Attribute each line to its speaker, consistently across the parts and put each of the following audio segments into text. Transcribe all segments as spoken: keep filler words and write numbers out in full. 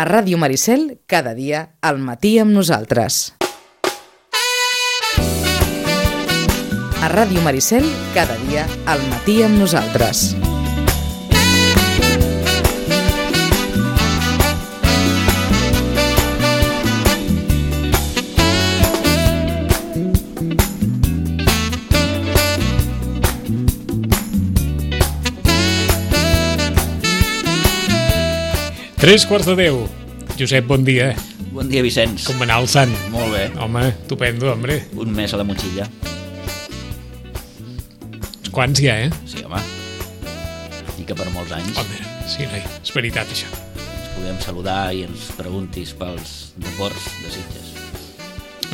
Speaker 1: A Ràdio Maricel, cada dia, al matí amb nosaltres. A Ràdio Maricel, cada dia, al matí amb nosaltres.
Speaker 2: Tres quarts de deu. Josep, bon dia.
Speaker 3: Bon dia, Vicenç.
Speaker 2: Com va anar el sant?
Speaker 3: Molt bé.
Speaker 2: Home, estupendo, hombre.
Speaker 3: Un mes a la motxilla.
Speaker 2: Quants hi ha, eh?
Speaker 3: Sí, home. I que per molts anys.
Speaker 2: Home, sí, noi, és veritat, això.
Speaker 3: Ens podem saludar i ens preguntis pels deports de Sitges.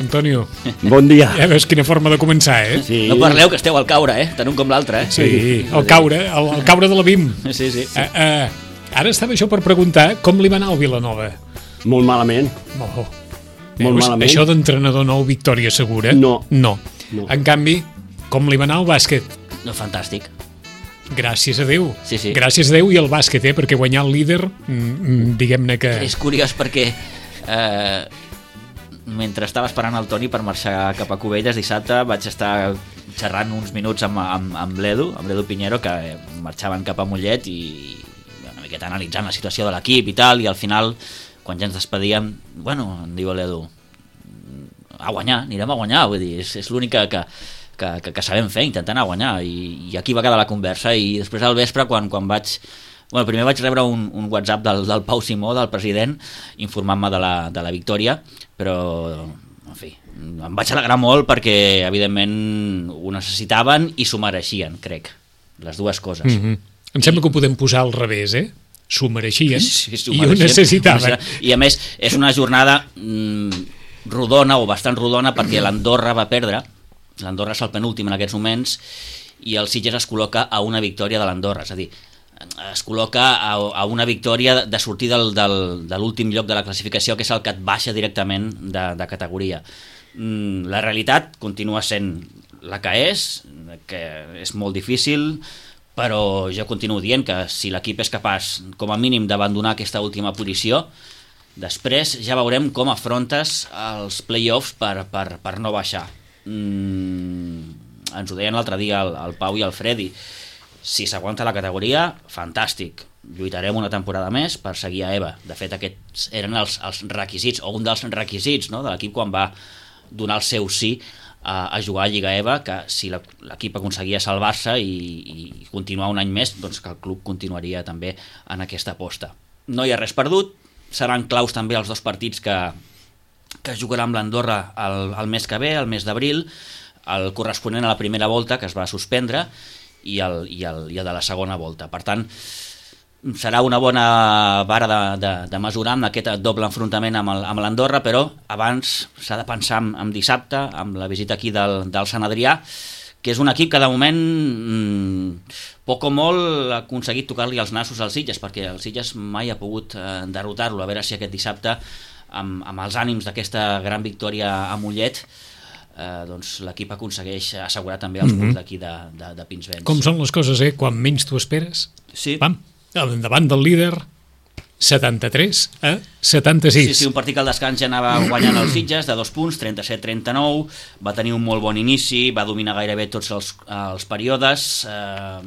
Speaker 2: Antonio.
Speaker 4: Bon dia.
Speaker 2: Ja veus quina forma de començar, eh?
Speaker 3: Sí. No parleu, que esteu al caure, eh? Tant un com l'altre, eh?
Speaker 2: Sí, el caure, el, el caure de la B I M.
Speaker 3: Sí, sí. sí.
Speaker 2: Uh, uh, Ara estava això per preguntar com li va anar al Vilanova.
Speaker 4: Molt malament.
Speaker 2: Molt,
Speaker 4: Molt
Speaker 2: Veus,
Speaker 4: malament.
Speaker 2: Això d'entrenador nou, victòria segura?
Speaker 4: No.
Speaker 2: no.
Speaker 4: No.
Speaker 2: En canvi, com li va anar al bàsquet?
Speaker 3: No, fantàstic.
Speaker 2: Gràcies a Déu.
Speaker 3: Sí, sí.
Speaker 2: Gràcies a Déu i al bàsquet, eh? Perquè guanyar el líder, mm, diguem-ne que...
Speaker 3: És curiós perquè eh, mentre estava esperant el Toni per marxar cap a Cubelles dissabte vaig estar xerrant uns minuts amb, amb, amb l'Edu, amb l'Edu Piñero, que marxaven cap a Mollet i una miqueta analitzant la situació de l'equip i tal, i al final, quan ja ens despedíem, bueno, em diu l'Edu, a guanyar, anirem a guanyar, vull dir, és, és l'únic que, que, que, que, que sabem fer, intentant a guanyar, i, i aquí va quedar la conversa, i després al vespre, quan, quan vaig... Bueno, primer vaig rebre un, un WhatsApp del, del Pau Simó, del president, informant-me de la, de la victòria, però, en fi, em vaig alegrar molt perquè, evidentment, ho necessitaven i s'ho mereixien, crec, les dues coses.
Speaker 2: Mm-hmm. Em sembla que ho podem posar al revés, eh? S'ho mereixien
Speaker 3: sí, sí,
Speaker 2: i ho necessitaven.
Speaker 3: I a més, és una jornada mm, rodona o bastant rodona perquè l'Andorra va perdre, l'Andorra és el penúltim en aquests moments, i el Sitges es col·loca a una victòria de l'Andorra, és a dir, es col·loca a, a una victòria de sortir del, del, de l'últim lloc de la classificació, que és el que et baixa directament de, de categoria. Mm, la realitat continua sent la que és, que és molt difícil, però jo continuo dient que si l'equip és capaç, com a mínim, d'abandonar aquesta última posició, després ja veurem com afrontes els play-offs per, per, per no baixar. Mm, ens ho deien l'altre dia el, el Pau i el Freddy. Si s'aguanta la categoria, fantàstic. Lluitarem una temporada més per seguir a EVA. De fet, aquests eren els, els requisits, o un dels requisits, no?, de l'equip quan va donar el seu sí a, a jugar a Lliga EVA, que si l'equip aconseguia salvar-se i, i continuar un any més, doncs que el club continuaria també en aquesta aposta. No hi ha res perdut, seran claus també els dos partits que, que es jugarà amb l'Andorra el, el mes que ve, el mes d'abril, el corresponent a la primera volta, que es va suspendre, i el, i el, i el de la segona volta. Per tant, serà una bona vara de, de, de mesurar amb aquest doble enfrontament amb, el, amb l'Andorra, però abans s'ha de pensar en, en dissabte, amb la visita aquí del, del Sant Adrià, que és un equip que de moment mmm, poc o molt ha aconseguit tocar-li els nassos als Sitges, perquè el Sitges mai ha pogut eh, derrotar-lo. A veure si aquest dissabte, amb, amb els ànims d'aquesta gran victòria a Mollet, eh, doncs l'equip aconsegueix assegurar també els punts mm-hmm. d'aquí de, de, de Pinsbens.
Speaker 2: Com són les coses, eh? Quan menys t'ho esperes,
Speaker 3: sí.
Speaker 2: Pam, davant del líder, setanta-tres a setanta-sis.
Speaker 3: Sí, sí, un partit que al descans ja anava guanyant els Sitges de dos punts, trenta-set a trenta-nou, va tenir un molt bon inici, va dominar gairebé tots els, els períodes, eh,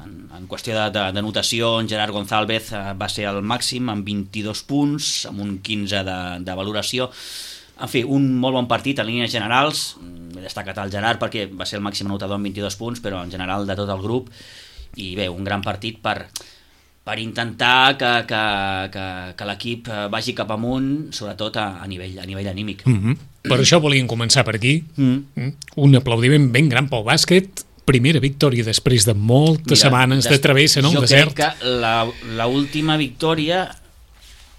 Speaker 3: en, en qüestió de, de, de notació, en Gerard González eh, va ser el màxim amb vint-i-dos punts, amb un quinze de, de valoració. En fi, un molt bon partit en línies generals. He destacat el Gerard perquè va ser el màxim anotador amb vint-i-dos punts, però en general de tot el grup. I bé, un gran partit per, per intentar que, que, que, que l'equip vagi cap amunt, sobretot a, a, nivell, a nivell anímic.
Speaker 2: Mm-hmm. Per això volíem començar per aquí.
Speaker 3: Mm.
Speaker 2: Un aplaudiment ben gran pel bàsquet. Primera victòria després de moltes Mira, setmanes des... de travessa en el
Speaker 3: jo
Speaker 2: desert.
Speaker 3: Jo crec que la, la última victòria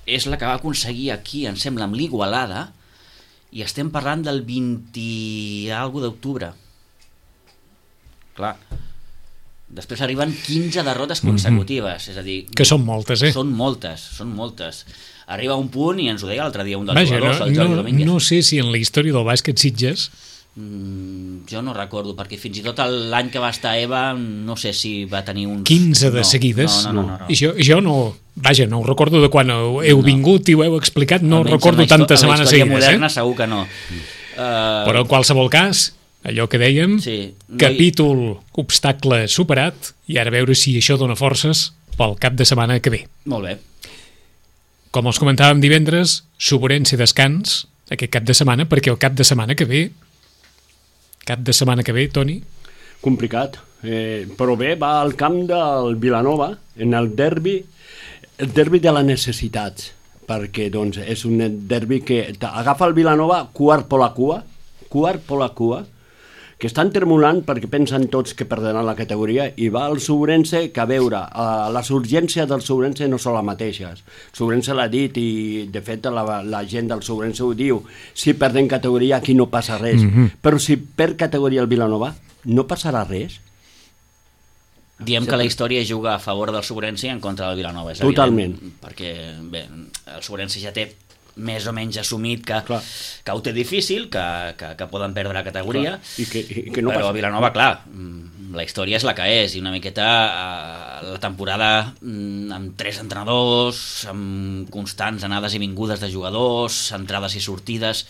Speaker 3: és la que va aconseguir aquí, em sembla, amb l'Igualada, i estem parlant del vint i alguna cosa d'octubre. Clar, després arriben quinze derrotes consecutives, mm-hmm. és a dir...
Speaker 2: Que són moltes, eh?
Speaker 3: Són moltes, són moltes. Arriba un punt, i ens ho deia l'altre dia un dels
Speaker 2: Vaja,
Speaker 3: jugadors,
Speaker 2: no,
Speaker 3: el Jordi
Speaker 2: no,
Speaker 3: Domínguez.
Speaker 2: No sé si en la història del bàsquet Sitges
Speaker 3: Mm, jo no recordo, perquè fins i tot l'any que va estar Eva no sé si va tenir uns...
Speaker 2: quinze de
Speaker 3: no,
Speaker 2: seguides.
Speaker 3: No, no, no, no.
Speaker 2: I jo, jo no... Vaja, no ho recordo de quan heu, heu
Speaker 3: No.
Speaker 2: vingut i ho heu explicat, no
Speaker 3: Almenys
Speaker 2: recordo
Speaker 3: en la histo-
Speaker 2: tantes
Speaker 3: en la
Speaker 2: setmanes
Speaker 3: història
Speaker 2: seguides.
Speaker 3: moderna
Speaker 2: Eh?
Speaker 3: segur que no. Uh,
Speaker 2: Però en qualsevol cas, allò que dèiem,
Speaker 3: Sí, no hi-
Speaker 2: capítol, obstacle superat, i ara a veure si això dona forces pel cap de setmana que ve.
Speaker 3: Molt bé.
Speaker 2: Com els comentàvem divendres, Suburense descans aquest cap de setmana, perquè el cap de setmana que ve, cap de setmana que ve, Toni,
Speaker 4: Complicat. Eh, però bé, va al camp del Vilanova, en el derbi, el derbi de les necessitats, perquè doncs, és un derbi que agafa el Vilanova quart per la cua, quart per la cua, que estan tremolant perquè pensen tots que perdran la categoria, i va al Suburense, que a veure, eh, les urgències del Suburense no són les mateixes. El Suburense l'ha dit i de fet la, la gent del Suburense ho diu, si perden categoria aquí no passa res, mm-hmm. però si perd categoria el Vilanova no passarà res.
Speaker 3: Diem que la història juga a favor del Suburense i en contra del Vilanova, és
Speaker 4: Totalment.
Speaker 3: evident, perquè bé, el Suburense ja té més o menys assumit que,
Speaker 4: Clar.
Speaker 3: que ho té difícil, que, que, que poden perdre la categoria,
Speaker 4: Clar. I que, i que no
Speaker 3: però
Speaker 4: passa.
Speaker 3: a Vilanova, clar, mm, la història és la que és, i una miqueta eh, la temporada mm, amb tres entrenadors, amb constants anades i vingudes de jugadors, entrades i sortides.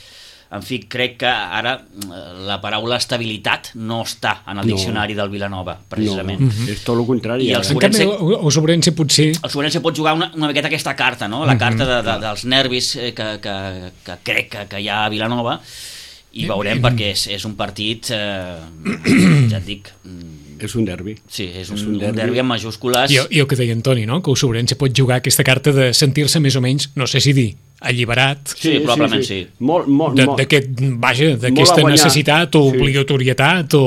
Speaker 3: En fi, crec que ara eh, la paraula estabilitat no està en el
Speaker 4: No.
Speaker 3: diccionari del Vilanova, precisament.
Speaker 4: No, és tot el contrari.
Speaker 3: I el
Speaker 4: ara.
Speaker 2: en canvi,
Speaker 3: Suburense-
Speaker 2: el, el Suburense potser...
Speaker 3: El Suburense pot jugar una, una miqueta aquesta carta, no? La carta de, de, dels nervis eh, que, que, que crec que, que hi ha a Vilanova, i veurem perquè és, és un partit, eh, ja et dic, mm,
Speaker 4: És un derbi.
Speaker 3: sí, és un,
Speaker 4: És
Speaker 3: un,
Speaker 4: un derbi.
Speaker 3: derbi amb majúscules.
Speaker 2: I, I el que deia en Toni, no? Que el Suburense pot jugar aquesta carta de sentir-se més o menys, no sé si dir, alliberat
Speaker 3: Sí, probablement sí.
Speaker 4: Molt, molt,
Speaker 2: de-
Speaker 4: molt,
Speaker 2: d'aquest, vaja,
Speaker 4: Molt
Speaker 2: d'aquesta
Speaker 4: a guanyar.
Speaker 2: necessitat o
Speaker 4: Sí.
Speaker 2: obligatorietat o...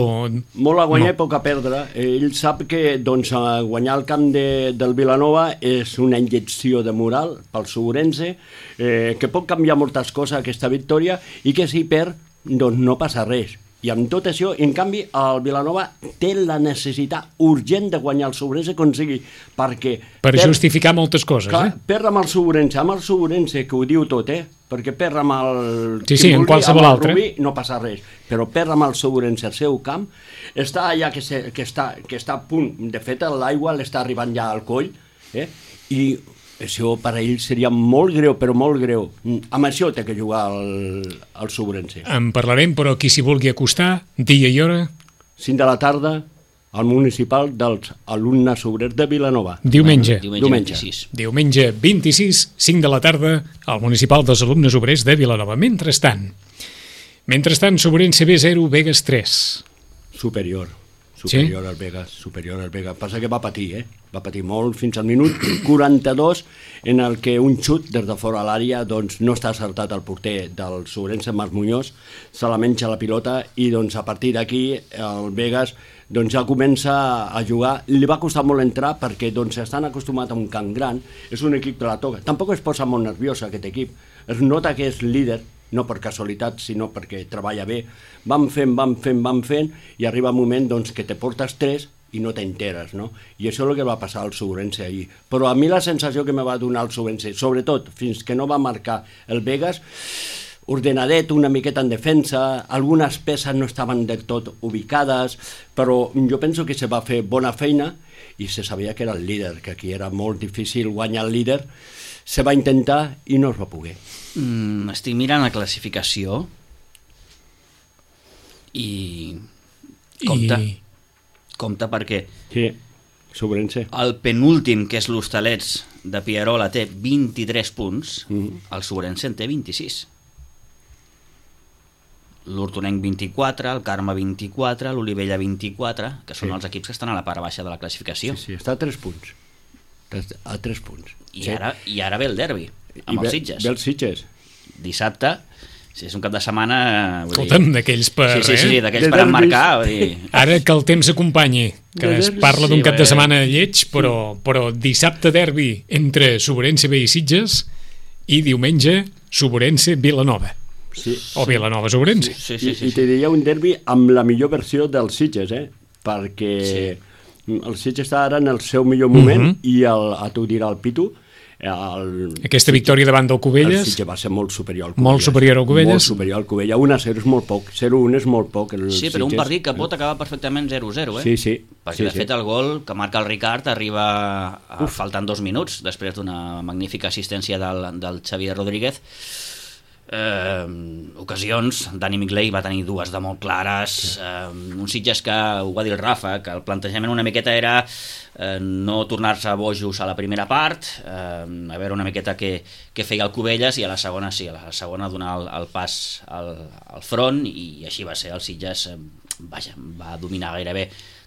Speaker 4: molt a guanyar
Speaker 2: No.
Speaker 4: i poc a perdre. Ell sap que doncs, a guanyar el camp de, del Vilanova és una injecció de moral pel Suburense, eh, que pot canviar moltes coses aquesta victòria, i que si perd doncs no passa res. I amb tot això, en canvi, el Vilanova té la necessitat urgent de guanyar el Suburense com sigui, perquè...
Speaker 2: Per
Speaker 4: perd-
Speaker 2: justificar moltes coses,
Speaker 4: Clar,
Speaker 2: eh?
Speaker 4: perd amb el Suburense, amb el Suburense, que ho diu tot, eh? Perquè perd amb el...
Speaker 2: Sí,
Speaker 4: qui
Speaker 2: sí, en
Speaker 4: vulgui,
Speaker 2: qualsevol
Speaker 4: amb el
Speaker 2: altre.
Speaker 4: Rubí no passa res, però perd amb el Suburense al seu camp, està allà que, se, que, està, que està a punt, de fet l'aigua l'està arribant ja al coll, eh? I això per a ell seria molt greu, però molt greu. Amb això té que jugar el, el Suburense.
Speaker 2: En parlarem, però qui s'hi vulgui acostar, dia i hora,
Speaker 4: cinc de la tarda, al municipal dels alumnes obrers de Vilanova.
Speaker 2: diumenge.
Speaker 3: Diumenge,
Speaker 4: Diumenge.
Speaker 3: vint-i-sis.
Speaker 2: Diumenge vint-i-sis, cinc de la tarda, al municipal dels alumnes obrers de Vilanova. Mentrestant, mentrestant, Suburense B zero, Vegas tres.
Speaker 4: Superior. Superior sí? al Vegas, superior al Vegas. Passa que va patir, eh? Va patir molt fins al minut quaranta-dos, en el que un xut des de fora a l'àrea doncs, no està acertat al porter del Suburense, Marc Muñoz, se la menja la pilota i doncs, a partir d'aquí el Vegas doncs, ja comença a jugar. Li va costar molt entrar perquè doncs, estan acostumats a un camp gran, és un equip que la toca. Tampoc es posa molt nerviós aquest equip, es nota que és líder, no per casualitat, sinó perquè treballa bé. Vam fent, vam fent, vam fent, i arriba un moment doncs, que te portes tres i no t'enteres, no? I això és el que va passar al Suburense ahir. Però a mi la sensació que me va donar el Suburense, sobretot fins que no va marcar el Vegas, ordenadet, una miqueta en defensa, algunes peces no estaven del tot ubicades, però jo penso que se va fer bona feina i se sabia que era el líder, que aquí era molt difícil guanyar el líder. Se va intentar i no es va poder.
Speaker 3: Mm, estic mirant la classificació i compte,
Speaker 2: I...
Speaker 3: compte perquè
Speaker 4: Sí, Suburense.
Speaker 3: el penúltim, que és l'Hostalets de Pierola, té vint-i-tres punts,
Speaker 4: Mhm.
Speaker 3: el Suburense en té vint-i-sis. L'Hortonenc vint-i-quatre, el Carme vint-i-quatre, l'Olivella vint-i-quatre, que són
Speaker 4: Sí.
Speaker 3: els equips que estan a la part baixa de la classificació.
Speaker 4: Sí, sí, està a tres punts. Està a tres punts.
Speaker 3: I,
Speaker 4: Sí.
Speaker 3: ara, I ara ve el derbi, amb
Speaker 4: I
Speaker 3: els
Speaker 4: ve,
Speaker 3: Sitges.
Speaker 4: Ve els Sitges.
Speaker 3: Dissabte, si és un cap de setmana... Vull dir-
Speaker 2: Escolta'm, d'aquells per...
Speaker 3: Sí, sí, sí, sí,
Speaker 2: eh?
Speaker 3: d'aquells
Speaker 4: De
Speaker 3: per
Speaker 4: derbis.
Speaker 3: emmarcar. Vull dir...
Speaker 2: Ara que el temps acompanyi, que
Speaker 4: De
Speaker 2: es
Speaker 4: derbis,
Speaker 2: parla d'un
Speaker 3: sí,
Speaker 2: cap
Speaker 3: bé.
Speaker 2: de setmana lleig, però, però dissabte derbi entre Suburense B i Sitges i diumenge Suburense Vilanova.
Speaker 4: Sí.
Speaker 2: O Vilanova Suburense.
Speaker 3: Sí, sí,
Speaker 4: I,
Speaker 3: sí,
Speaker 4: I
Speaker 3: sí.
Speaker 4: te diria un derbi amb la millor versió dels Sitges, eh? Perquè el Sitges està ara en el seu millor moment,
Speaker 2: Mhm.
Speaker 4: i el, a tu dirà el Pitu, El,
Speaker 2: Aquesta victòria davant del Cubelles...
Speaker 4: El Sitges va ser molt superior al Cubelles.
Speaker 2: Molt superior al Cubelles.
Speaker 4: Molt superior al Cubelles. un a zero és molt poc, zero a un és molt poc. El
Speaker 3: sí, però un
Speaker 4: Sitges,
Speaker 3: partit que pot acabar perfectament zero a zero, eh?
Speaker 4: Sí, sí.
Speaker 3: Perquè,
Speaker 4: sí,
Speaker 3: de
Speaker 4: sí.
Speaker 3: fet, el gol que marca el Ricard arriba a, faltant dos minuts, després d'una magnífica assistència del, del Xavier Rodríguez. Eh, ocasions, Dani Migley va tenir dues de molt clares, eh, un Sitges que, ho va dir el Rafa, que el plantejament una miqueta era eh, no tornar-se bojos a la primera part, eh, a veure una miqueta què, què feia el Cubelles, i a la segona sí, a la segona donar el, el pas al, al front, i així va ser. El Sitges eh, vaja, va dominar gairebé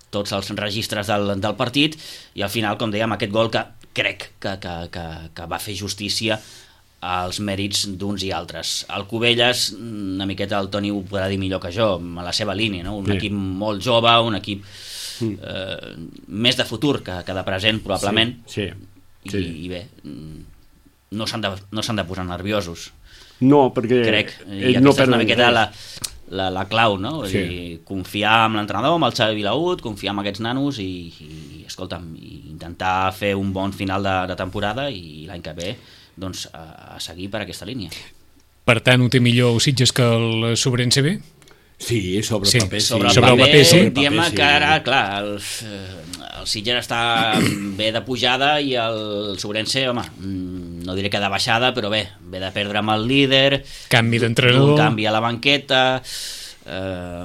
Speaker 3: tots els registres del, del partit, i al final, com dèiem, aquest gol que crec que, que, que, que va fer justícia als mèrits d'uns i altres. El Cubelles, una miqueta el Toni ho podrà dir millor que jo, a la seva línia, no? Un sí. equip molt jove, un equip eh, més de futur que, que de present, probablement,
Speaker 4: sí, sí, sí.
Speaker 3: I, i bé, no s'han de, no s'han de posar nerviosos.
Speaker 4: No, perquè...
Speaker 3: Crec, i aquesta no és una miqueta la, la, la clau, no? Sí. I confiar en l'entrenador, amb el Xavi Vilaut, confiar en aquests nanos i, i escolta'm, i intentar fer un bon final de, de temporada, i l'any que ve doncs a, a seguir per aquesta línia.
Speaker 2: Per tant, ho té millor el Sitges que el Sobrense B?
Speaker 4: Sí, sobre el
Speaker 2: sí.
Speaker 4: paper sí.
Speaker 3: Sobre el
Speaker 2: sobre
Speaker 3: paper,
Speaker 2: el paper sí.
Speaker 3: Diguem-ne que ara, clar, el, el Sitges està bé de pujada i el Sobrense, home, no diré que de baixada, però bé, ve de perdre amb el líder,
Speaker 2: canvi d'entrenador,
Speaker 3: un canvi a la banqueta, eh,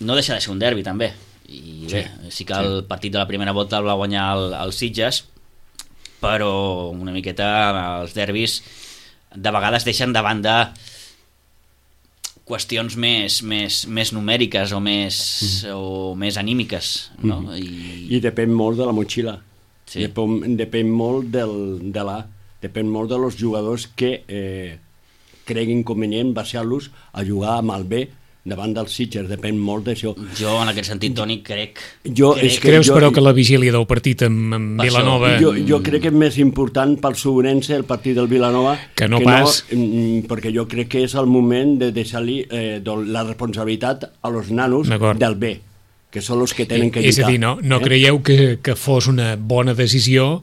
Speaker 3: no deixa de ser un derbi també, i bé, sí, sí que el sí. partit de la primera volta el va guanyar el, el Sitges, però una miqueta els derbis de vegades deixen de banda qüestions més, més, més numèriques o més, mm. o més anímiques, no? Mm. I...
Speaker 4: I depèn molt de la motxilla,
Speaker 3: sí.
Speaker 4: depèn, depèn molt del, de la depèn molt de los jugadors que eh, creguin convenient baixar-los a jugar amb el B davant dels Sitges, depèn molt d'això.
Speaker 3: Jo, en aquest sentit, Toni, crec...
Speaker 4: Jo,
Speaker 3: crec
Speaker 4: és que
Speaker 2: Creus,
Speaker 4: jo,
Speaker 2: però, que la vigília del partit amb, amb Vilanova...
Speaker 4: Jo, jo crec que és més important pel Sobrense el partit del Vilanova
Speaker 2: que no
Speaker 4: que
Speaker 2: pas...
Speaker 4: No, perquè jo crec que és el moment de deixar-li eh, la responsabilitat a los nanos del B, que són els que tenen que lluitar.
Speaker 2: És a dir, no, no eh? creieu que, que fos una bona decisió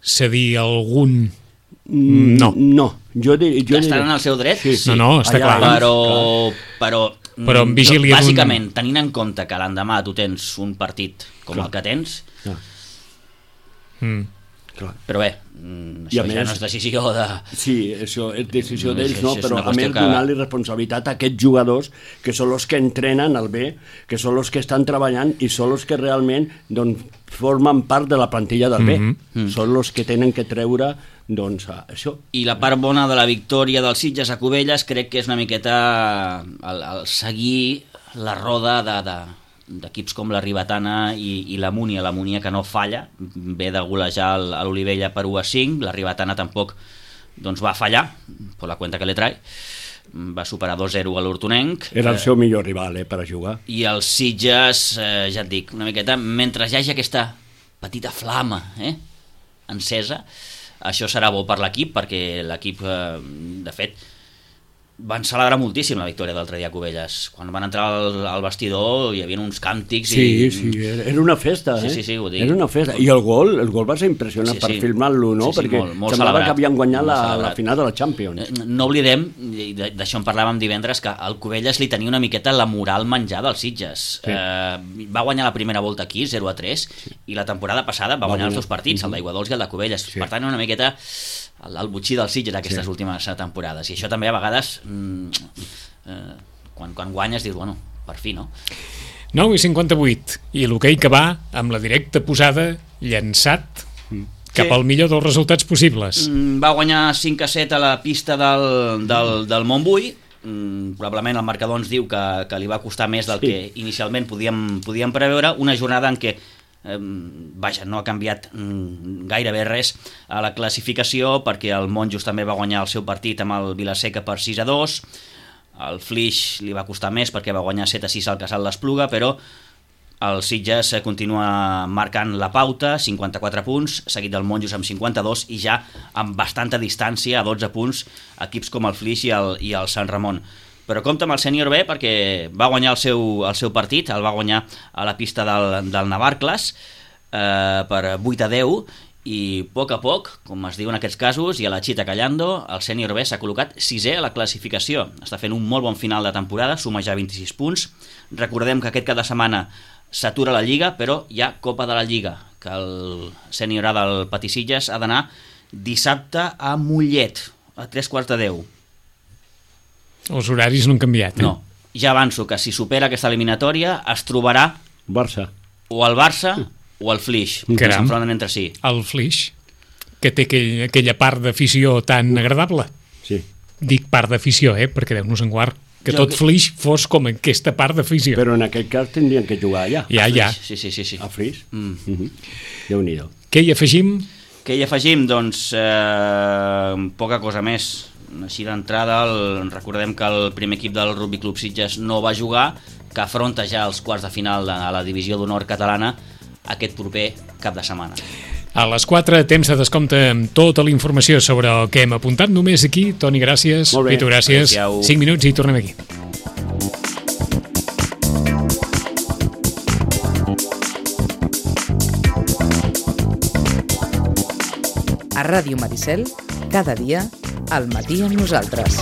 Speaker 2: cedir algun... No.
Speaker 4: No. Jo, dir, jo
Speaker 3: estan en el seu dret,
Speaker 4: sí,
Speaker 3: sí.
Speaker 2: No, no, està
Speaker 4: Allà,
Speaker 2: clar.
Speaker 3: Però...
Speaker 2: però
Speaker 3: però
Speaker 2: amb vigília
Speaker 3: bàsicament, tenint en compte que l'endemà tu tens un partit com clar. el que tens,
Speaker 4: clar.
Speaker 2: Mm.
Speaker 4: Clar.
Speaker 3: però bé, això ja més, no és decisió de...
Speaker 4: Sí, això és decisió
Speaker 3: no,
Speaker 4: d'ells,
Speaker 3: és,
Speaker 4: no,
Speaker 3: és
Speaker 4: però a més
Speaker 3: que...
Speaker 4: donar-li responsabilitat a aquests jugadors que són els que entrenen el B, que són els que estan treballant i són els que realment doncs, formen part de la plantilla del B. Mm-hmm. Mm. Són els que tenen que treure doncs això.
Speaker 3: I la part bona de la victòria dels Sitges a Cubelles crec que és una miqueta el, el seguir la roda de, de, d'equips com la Ribetana i, i la Múnia, la Múnia que no falla, ve de golejar a l'Olivella per u a cinc, la Ribetana tampoc doncs, va fallar, per la cuenta que le trae, va superar dos a zero a l'Hortonenc.
Speaker 4: Era el seu millor rival eh, per a jugar.
Speaker 3: I els Sitges, eh, ja et dic, una miqueta, mentre hi hagi aquesta petita flama eh, encesa, això serà bo per l'equip, perquè l'equip, eh, de fet, van celebrar moltíssim la victòria d'altre dia a Cubelles. Quan van entrar al, al vestidor hi havia uns càntics
Speaker 4: sí,
Speaker 3: i...
Speaker 4: Sí, era una festa, eh?
Speaker 3: Sí, sí, sí, ho dic.
Speaker 4: Era una festa. I el gol, el gol va ser impressionant sí, sí. per filmar-lo, no?
Speaker 3: Sí, sí,
Speaker 4: perquè
Speaker 3: molt, molt
Speaker 4: semblava
Speaker 3: celebrat,
Speaker 4: que havien guanyat la,
Speaker 3: celebrat.
Speaker 4: la final de la Champions.
Speaker 3: No oblidem, i d'això en parlàvem divendres, que el Cubelles li tenia una miqueta la moral menjada als Sitges. Sí. Eh, va guanyar la primera volta aquí, zero a tres, sí. i la temporada passada va, va guanyar els dos partits, el d'Aiguadols i el de Cubelles. Sí. Per tant, una miqueta el, el butxí dels Sitges aquestes sí. últimes temporades. I això també a vegades... Mm, eh, quan, quan guanyes dius, bueno, per fi, no?
Speaker 2: nou i cinquanta-vuit, i l'hoquei que va amb la directa posada llançat mm. cap sí. al millor dels resultats possibles.
Speaker 3: Mm, va guanyar cinc a set a la pista del, del, del Montbui. Mm, probablement el marcador ens diu que, que li va costar més del sí. que inicialment podíem, podíem preveure. Una jornada en què eh, vaja, no ha canviat mm, gairebé res a la classificació, perquè el Monjos també va guanyar el seu partit amb el Vilaseca per sis a dos. El Flix li va costar més perquè va guanyar set a sis al Casal d'Espluga, però el Sitges continua marcant la pauta, cinquanta-quatre punts, seguit del Monjos amb cinquanta-dos, i ja amb bastanta distància, a dotze punts, equips com el Flix i el, i el Sant Ramon. Però compta amb el sènior B, perquè va guanyar el seu, el seu partit, el va guanyar a la pista del, del Navarcles eh, per vuit a deu, i a poc a poc, com es diu en aquests casos, i a la Chita Callando, el sènior B s'ha col·locat sisè a la classificació. Està fent un molt bon final de temporada, suma ja vint-i-sis punts. Recordem que aquest cap de setmana s'atura la Lliga, però hi ha Copa de la Lliga, que el sènior A del Patissillas ha d'anar dissabte a Mollet, a tres quarts de deu.
Speaker 2: Els horaris no han canviat, eh?
Speaker 3: No, ja avanço que si supera aquesta eliminatòria es trobarà
Speaker 4: Barça.
Speaker 3: o el Barça o el Flix, que
Speaker 2: Caram.
Speaker 3: s'enfronten entre si.
Speaker 2: El Flix, que té aquell, aquella part d'afició tan agradable.
Speaker 4: Sí.
Speaker 2: Dic part d'afició, eh? Perquè Déu-nos en guard. Que
Speaker 3: Jo
Speaker 2: tot
Speaker 3: que-
Speaker 2: Flix fos com aquesta part d'afició.
Speaker 4: Però en aquest cas tindrien que jugar allà.
Speaker 2: Ja, ja.
Speaker 3: Sí, sí, sí, sí.
Speaker 4: A Fris.
Speaker 3: Mm.
Speaker 4: Mhm. Déu-n'hi-do.
Speaker 2: Què hi afegim?
Speaker 3: Què hi afegim? Doncs eh, poca cosa més. Així d'entrada, el, recordem que el primer equip del Rugby Club Sitges no va jugar, que afronta ja els quarts de final de la divisió d'honor catalana aquest proper cap de setmana.
Speaker 2: A les quatre, temps de descompte amb tota la informació sobre el que hem apuntat. Només aquí, Toni, gràcies.
Speaker 4: Molt bé.
Speaker 2: Pitu, gràcies.
Speaker 3: Adéu-siau.
Speaker 2: cinc minuts i tornem aquí.
Speaker 1: A Ràdio Maricel, cada dia, al matí amb nosaltres.